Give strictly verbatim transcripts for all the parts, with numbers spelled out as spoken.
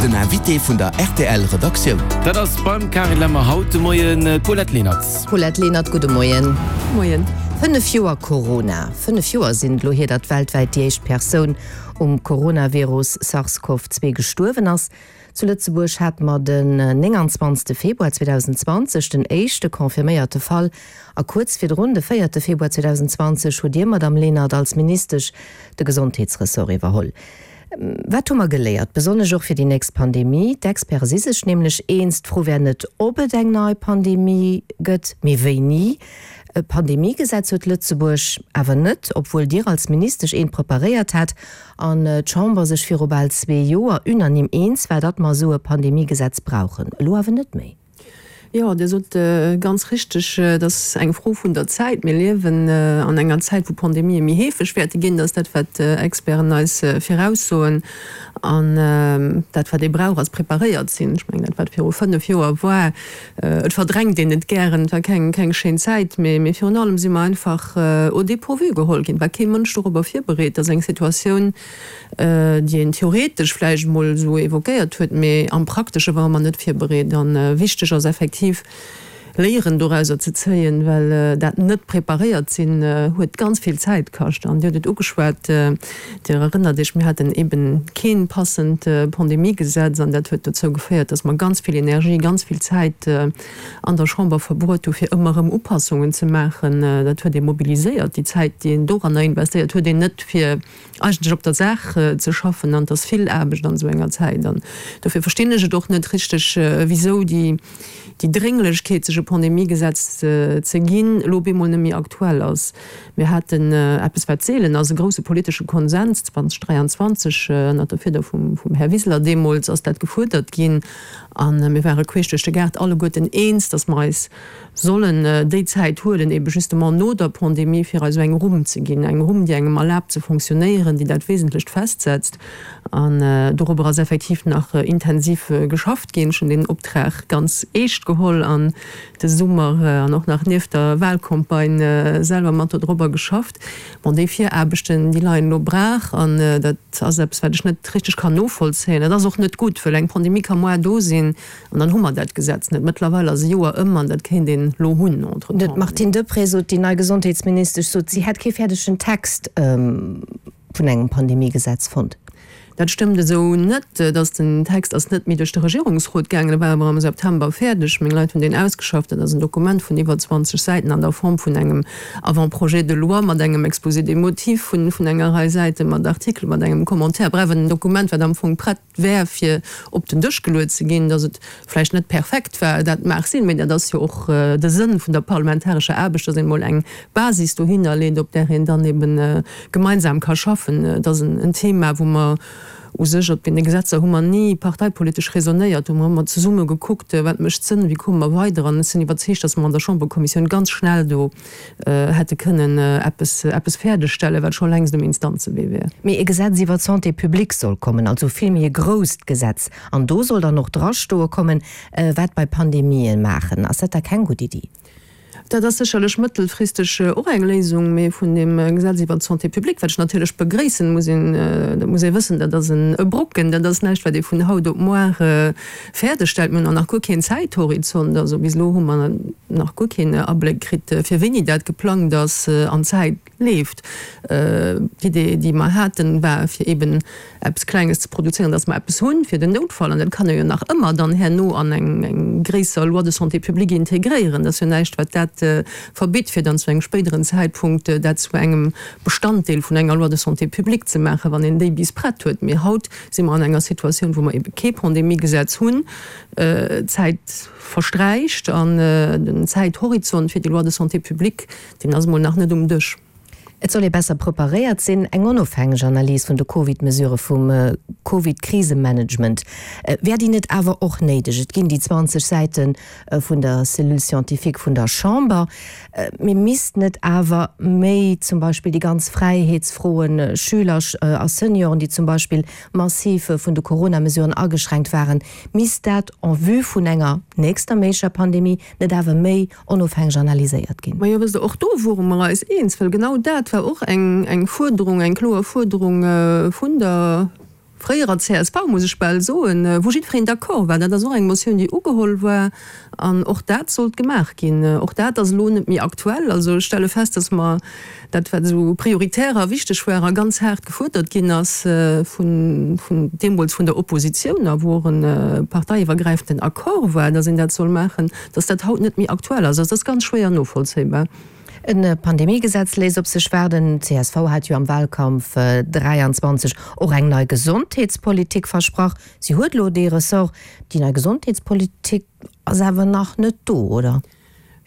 Den Invité vun der R T L Redaktioun. Dat ass beim Carine Lemmer haut de Moien d'Paulette Lenert. Paulette Lenert, gudde Moien. Moien. Fënnef Joer Corona. Fënnef Joer sinn et elo hier, datt weltwäit déi éischt Persoun um Coronavirus SARS-CoV zwee gestuerwen ass. Zu Lëtzebuerg hate mer den nénganzwanzegste Februar zweedausenzwanzeg den éischte confirméierte Fall a kuerz virdrun, de véierte Februar zweedausenzwanzeg, hutt Dir, Madamm Lenert, als Ministesch de Gesondheetsressort iwwerholl. Wat hu mer geléiert, besonnesch och fir déi nächst Pandemie? D'Experte si sech nämlech eens, d'Fro wär net, ob et eng nei Pandemie gëtt, mee wéini. E Pandemiegesetz huet Lëtzebuerg awer net, obwuel Dir als Ministesch eent preparéiert hat an d'Chamber sech viru bal zwee Joer unanime eens war, datt mer esou e Pandemiegesetz brauchen. Elo awer net méi. Jo, Dir sot ganz richteg, et ass eng Fro vun der Zäit. Mir liewen an enger Zäit, wou Pandemië méi heefeg wäerte ginn. Dat ass dat, wat Experten eis viraussoen. An dat, wat ee brauch, ass preparéiert sinn. Ech mengen, dat, wat viru fënnef Joer war, et verdrängt een et gären, et war keng, keng schéin Zäit, mee, mee virun allem si mer einfach au dépourvu geholl ginn. Et war kee Mënsch dorobber virbereet, dass eng Situatioun, déi een theoretesch vläicht emol esou évoquéiert huet, mee am Praktesche ware mer net virbereet. A wichteg ass effektiv, Léieren dorauser ze zéien, well dat net preparéiert sinn huet ganz vill Zäit kascht. An Dir hutt et ugeschwat, Dir erënnert Iech, mir haten eeben kee passend Pandemiegesetz an dat huet dozou geféiert, dass mer ganz vill Energie, ganz vill Zäit an der Chamber verbruet hu fir ëmmer erëm Upassungen ze maachen. Dat huet ee mobiliséiert. Déi Zäit, déi een doranner investéiert, huet een net fir eigentlech op der Saach ze schaffen. An et ass vill Aarbecht an esou enger Zäit. An dofir verstinn ech et och net richteg, wisou déi déi Drénglechkeet, sech e Pandemiegesetz ze ginn, elo op eemol net méi aktuell ass. Mir haten eppes, wat seelen ass, e grouse politesche Konsens zweedausenddräianzwanzeg, ënnert der Fieder vum Här Wiseler deemools ass dat gefuerdert ginn. A mir ware queesch duerch de Gaart alleguerten eens, datt mer eis sollen déi Zäit huelen, ebe justement no der Pandemie, fir eis esou eng Rumm ze ginn, eng Rumm, déi engem erlaabt ze fonctionnéieren, déi dat Wesentlecht festsetzt. An dorobber ass effektiv nach intensiv geschafft ginn. Ech hunn deen Optrag ganz eescht geholl an de Summer an och nach nieft der Wahlcampagne selwer mat dodrobber geschafft. Bon, déi Viraarbechten, déi leien elo braach an dat ass eppes, wat ech net richteg kann novollzéien. Dat ass och net gutt, well eng Pandemie ka moar do sinn an dann hu mer dat Gesetz net. Mëttlerweil ass e Joer ëm an dat kéint een elo hunn entretemps. D'Martine Deprez sot, déi nei Gesondheetsministesch sot, si hätt kee fäerdegen Text vun engem Pandemiegesetz fonnt. Dat stëmmt esou net. Dass den Text ass net méi duerch de Regierungsrot gaangen, e war awer am September fäerdeg. Meng Leit hunn deen ausgeschafft. Dat ass en Dokument vun iwwer zwanzeg Säiten an der Form vun engem Avant-projet de loi mat engem Exposé des motifs vun enger Rei Säiten, mat Artikelen, mat engem Commentaire. Bref, en Dokument, wat am Fong prett wär, fir op den Dësch geluet ze ginn. Dass et vläicht net perfekt war, dat mag sinn, mä dat ass jo och de Sënn vun der parlamentarescher Aarbecht, dass een emol eng Basis dohinner leet, op där een dann eben gemeinsam ka schaffen. Et ass en Thema, wou mer u sech, op deene Gesetzer hu mer ni parteipolitesch raisonnéiert, do hu mer ëmmer zesumme gekuckt, wat mécht Sënn, wéi komme mer weider. An ech sinn iwwerzeegt, dass mer an der Chamberkommissioun ganz schnell do hätte kënnen eppes, eppes fäerdegstellen, wat scho längst um Instanzewee wär. Mee e Gesetz iwwer d'Santé publique soll kommen, also vill méi e grousst Gesetz. An do soll dann och drastoe kommen, wat bei Pandemien maachen. Ass dat da keng gutt Iddi? Dat ass sécherlech mëttelfristeg och eng Léisung, mee vun deem Gesetz iwwert d'Santé publique, wat ech natierlech begréissen, muss een, dat muss ee wëssen, dat ass e Brocken, dat ass näischt, wat ee vun haut op muar fäerdeg stellt. Mir hunn och nach guer keen Zäithorizont, also bis elo hu mer nach guer keen Abléck kritt, fir wéini dat geplangt ass an d'Zäit leeft. D'Idee, déi mer haten, war, fir eeben eppes Klenges ze produzéieren, dass mer eppes hunn fir den Noutfall. An dat kann ee jo nach ëmmer dann herno an eng gréisser Loi de santé publique integréieren. Dat ass jo näischt, wat dat verbitt, fir dann zu engem spéideren Zäitpunkt dat zu engem Bestanddeel vun enger Loi de santé publique ze maachen, wann een déi bis prett huet. Mee haut si mer an enger Situatioun, wou mer eebe kee Pandemiegesetz hunn. D'Zäit versträicht an den Zäithorizont fir déi Loi de santé publique, deen ass emol nach net um Dësch. Et soll ee besser preparéiert sinn. Eng onofhängeg Analys vun de Covid-Mesurë vum Covid-Krisemanagement, wär déi net awer och néideg? Et ginn déi zwanzeg Säite vun der Cellule scientifique vun der Chamber. Mee misst net awer méi zum Beispill déi ganz Fräiheetsfroen, Schüler a Senioren, déi zum Beispill massiv vun de Corona-Mesuren ageschränkt waren, misst dat en vue vun enger nächster méiglecher Pandemie net awer méi onofhängeg analyséiert ginn? Majo, wësst Der, och do wore mer eis eens, well genau dat war och eng, eng Fuerderung, eng kloer Fuerderung vun der fréierer C S V, muss ech bal soen, wou jiddwereen d'accord war. Dat ass och eng Motioun, déi ugeholl war, an och dat sollt gemaach ginn. Och dat ass elo net méi aktuell. Also ech stelle fest, dass mer dat, wat esou prioritär a wichteg war a ganz haart gefuerdert ginn ass vun, vun deemools vun der Oppositioun a wou och e parteiiwwergräifenden Accord war, dass een dat soll maachen, dass dat haut net méi aktuell ass. Also dat ass ganz schwéier novollzéibar. E Pandemiegesetz léisst op sech waarden. D C S V hat jo am Wahlkampf dräianzwanzeg och eng nei Gesondheetspolitik versprach. Si huet elo dee Ressort. Déi nei Gesondheetspolitik ass awer nach net do, oder?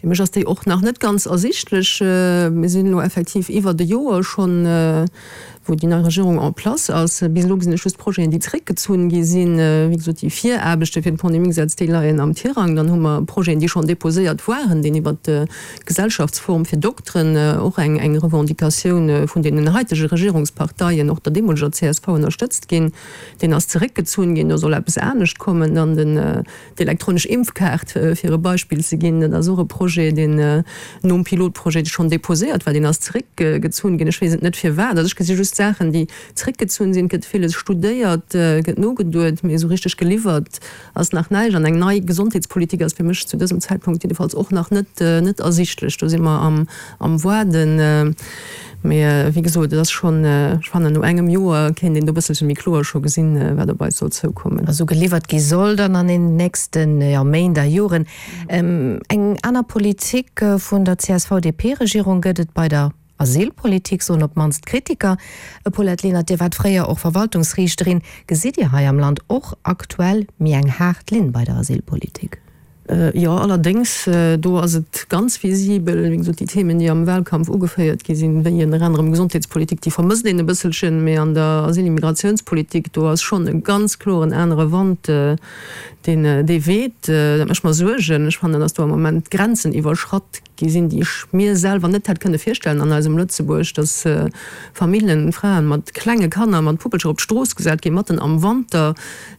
Fir mech ass déi och nach net ganz ersichtlech. Mir sinn elo effektiv iwwert e Joer schonn, wou déi nei Regierung en place ass. Bis elo gesinn ech just Projeten, déi zréckgezunn gi sinn. Wéi gesot, déi Viraarbechte fir d'Pandemiegesetz, déi leien am Tirang. Dann hu mer Projeten, déi schonn deposéiert waren, deen iwwert d'Gesellschaftsform fir Dokteren, och eng eng Revendicatioun vun deenen haitege Regierungsparteien, och der deemoleger C S V ënnerstëtzt ginn. Deen ass zeréckgezunn ginn, do soll eppes anescht kommen. Dann den D'elektronesch Impfkaart, fir e Beispill ze ginn, dat ass och e Projet, deen nom Pilotprojet schonn deposéiert war, deen ass zeréckgezunn ginn. Ech weess et net firwat. Also ech gesi just Saachen, déi zeréckgezunn sinn. Et gëtt villes studéiert, gëtt nogeduet, mee esou richteg geliwwert ass nach näischt. An eng nei Gesondheetspolitik ass fir mech zu dësem Zäitpunkt jiddefalls och nach net net ersichtlech. Do si mer am am Waarden. Mee wéi gesot, et ass schonn, ech fannen, no engem Joer kéint een do e bësselche méi kloer scho gesinn, wat op eis soll zoukommen. Also geliwwert gi soll dann an den nächsten, jo, Méint a Joren. Eng aner Politik vun der C S V-D P-Regierung gëtt et bei der Asylpolitik, soen op d'mannst d'Kritiker. Paulette Lenert, Dir waart fréier och Verwaltungsriichterin. Gesitt Dir hei am Land och aktuell méi eng haart Linn bei der Asylpolitik? Jo, allerdéngs, do ass et ganz visibel. Wéi gesot, déi Themen, déi am Wahlkampf ugeféiert gi sinn, wéi ënner anerem Gesondheetspolitik, déi vermësst een e bësselchen. Mee an der Asyl-Immigratiounspolitik, do ass schonn e ganz kloren anere Wand, deen dee weht. Dat mécht mer Suergen. Ech fannen, datt do am Moment Grenzen iwwerschratt gi sinn, déi ech mir selwer net hätt kënne virstellen an eisem Lëtzebuerg, datt Famillen, Fraen mat klenge Kanner, mat Puppelcher op d'Strooss gesat ginn, matten am Wanter.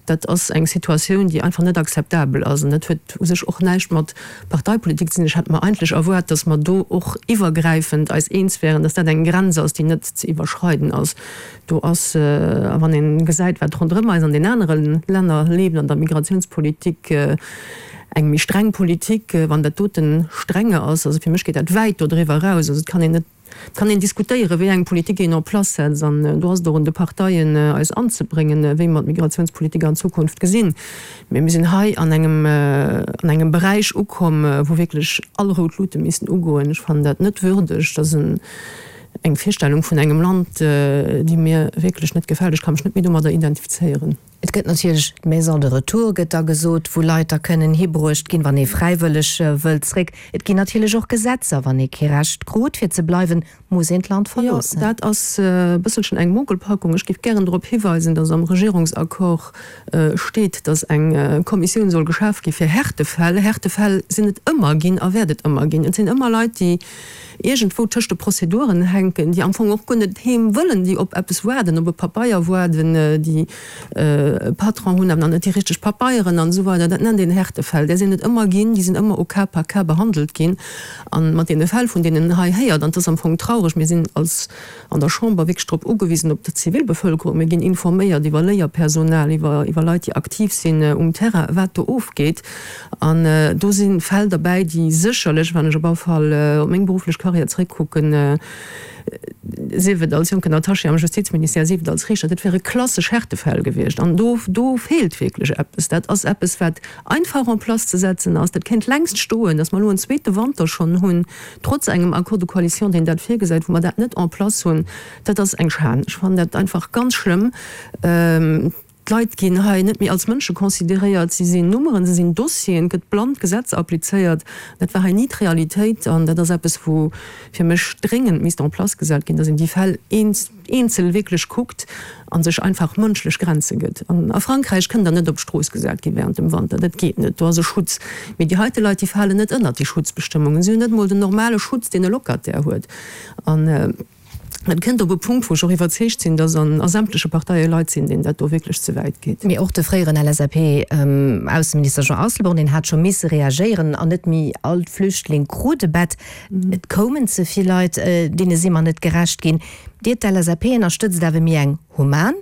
Dat ass eng Situatioun, déi einfach net akzeptabel ass. An dat huet u sech och näischt mat Parteipolitik ze dinn. Ech hätt mer eigentlech erwaart, datt mer do och iwwergräifend eis eens wären, datt dat eng Grenz ass, déi net ze iwwerschreiden ass. Do ass, a wann ee gesäit, wat ronderëm eis an den anere Länner leeft an der Migratiounspolitik, eng méi streng Politik, wann dat doten strenge ass, also fir mech geet dat wäit dodriwwer eraus. Also et kann een net, et kann een diskutéieren, wéi eng Politik een en place setzt, an do ass et och un de Parteien, eis anzebréngen, wéi mer d'Migratiounspolitik an Zukunft gesinn. Mee mir sinn hei an engem, an engem Beräich ukomm, wou wierklech all rout Lute missten ugoen. Ech fannen dat net würdeg. Dat ass eng Virstellung vun engem Land, déi mir wierklech net gefält. Ech ka mech net méi domadder identifizéieren. Et gëtt natierlech d'Maison de retour, gëtt da gesot, wou Leit da kënnen hibruecht ginn, wann ee fräiwëlleg wëllt zréck. Et ginn natierlech och Gesetzer, wann ee kee Recht krut fir ze bleiwen, muss een d'Land verloossen. Jo, dat ass e bësselchen eng Mogelpackung. Ech géif gären drop hiweisen, dass am Regierungsaccord steet, dass eng Kommissioun soll geschaf gi fir Härtefäll. Härtefäll sinn et ëmmer ginn a wäert et ëmmer ginn. Et sinn ëmmer Leit, déi iergendwou tëscht de Prozeduren hänken, déi am Fong och guer net heem wëllen, déi op eppes waarden, op e Pabeier waarden, déi e Patron hunn, awer nach net déi richteg Pabeieren an esou weider. Dat nennt een Härtefäll. Där sinn et ëmmer ginn, déi sinn ëmmer au cas par cas behandelt ginn. A mat deene Fäll, vun deenen een hei héiert, an et ass am Fong traureg, mir sinn als an der Chamber wierklech drop ugewisen, op d'Zivilbevölkerung, mir ginn informéiert iwwer Léierpersonal, iwwer iwwer Leit, déi aktiv sinn um Terrain, wat do ofgeet. An do si Fäll derbäi, déi sécherlech, wann ech op alle Fall op meng berufflech Karriär zréckkucken, sief et als jonken Attaché am Justizministère, sief et als Riichter, dat wäre klassesch Härtefäll gewiescht. An do, do feelt wierklech eppes. Dat ass eppes, wat einfach en place ze setzen ass. Dat kéint längst stoen. Datt mer elo en zweete Wanter schonn hunn, trotz engem Accord de coalition, deen dat virgesäit, wou mer dat net en place hunn, dat ass eng Schan. Ech fannen dat einfach ganz schlëmm. D'Leit ginn hei net méi als Mënsche consideréiert, si sinn Nummeren, se sinn Dossieren, et gëtt blann d'Gesetz applizéiert. Dat war hei ni d'Realitéit an dat ass eppes, wou fir mech dréngend misst en place gesat ginn, dass een déi Fäll eenzel wierklech kuckt a sech einfach mënschlech Grenze gëtt. An a Frankräich kënnt Der net op d'Strooss gesat gi während dem Wanter, dat geet net, do ass e Schutz. Mee déi heite Leit, déi falen net ënnert déi Schutzbestëmmungen, si hunn net emol den normale Schutz, deen e Locataire huet. An et kënnt op e Punkt, wou ech och iwwerzeegt sinn, dass an a sämtleche Parteie Leit sinn, deenen dat do wierklech ze wäit geet. Mee och de fréieren L S A P-Ausseminister Jean Asselborn, deen hat scho misse reagéieren an net méi all Flüchtling krut e Bett. Et koumen ze vill Leit, deene si mer net gerecht ginn. Dir, d'L S A P, ënnerstëtzt awer méi eng human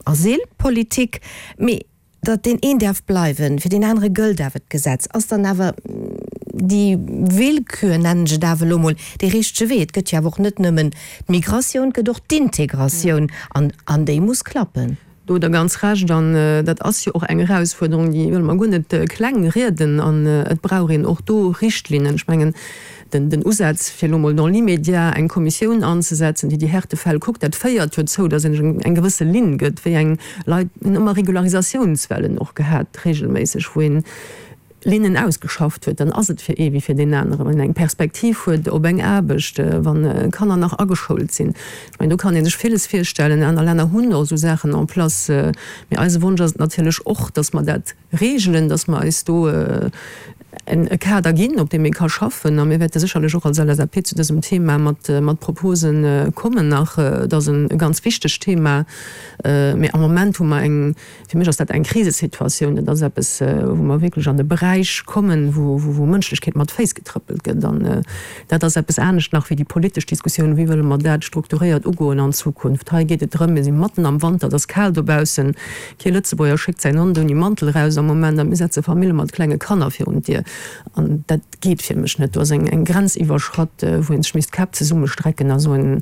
Asylpolitik. Mee datt deen een däerf bleiwen, fir deen anere gëllt awer d'Gesetz. Ass dann awer déi Willkür, nennen ech et awer elo mol, dee richtege Wee? Et gëtt jo awer och net nëmmen d'Migratioun, et gëtt och d'Integratioun, an, an déi muss klappen. Do hutt Der ganz Recht. An dat ass jo och eng Erausfuerderung, déi wëlle mer guer net kleng rieden. An et brauch een och do Richtlinnen. Ech mengen, den Usaz, fir elo mol dans l'immédiat eng Kommissioun anzesetzen, déi déi Härtefäll kuckt, dat féiert jo dozou, datt een sech eng gewësse Linn gëtt, wéi eng Leit. Mir hunn ëmmer Regularisatiounswellen och gehat, regelméisseg, wou een Linnen ausgeschafft huet, dann ass et fir ee wéi fir deen aneren, wann een eng Perspektiv huet op eng Aarbecht, wa Kanner nach ageschoult sinn. Ech mengen, do kann ee sech villes virstellen. Aner Länner hunn och esou Saachen en place. Mee eise Wonsch ass et natierlech och, datt mer dat regelen, datt mer eis do e Kader ginn, op deem ee ka schaffen. A mir wäerte sécherlech och als L S A P zu dësem Thema mat Propose kommen nach. Et ass e ganz wichtegt Thema. Mee am Moment hu mer eng, fir mech ass dat eng Krisesituatioun. Dat ass eppes, wou mer wierklech an e Beräich kommen, wou Mënschlechkeet mat Féiss getrëppelt gëtt. An dat ass eppes anescht nach wéi déi politesch Diskussioun, wéi wëlle mer dat strukturéiert ugoen an Zukunft. Hei geet et drëm, mir si matten am Wanter, et ass kal dobaussen, kee Lëtzebuerger schéckt säin Hond ouni Mantel eraus am Moment a mir setze Famille mat klenge Kanner virun d'Dier. An dat geet fir mech net. Do ass eng Grenz iwwerschratt, wou ee sech misst d'Käpp zesummestrecken a soen,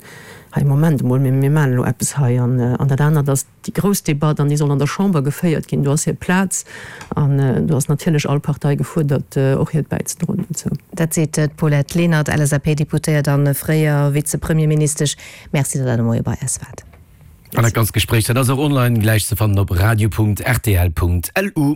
Hei, Moment emol, mir maachen elo eppes hei. An dat anert ass déi grouss Debatt, an déi soll an der Chamber geféiert ginn. Do ass hir Plaz an do ass natierlech all Partei gefuerdert, och hiert bäizedroen dozou. Dat seet d'Paulette Lenert, L S A P-Deputéiert a fréier Vizepremierministesch. Merci, datt Der de Moie bei eis waart. An dat ganzt Gespréich, dat ass och online gläich ze fannen op radio Punkt R T L Punkt L U.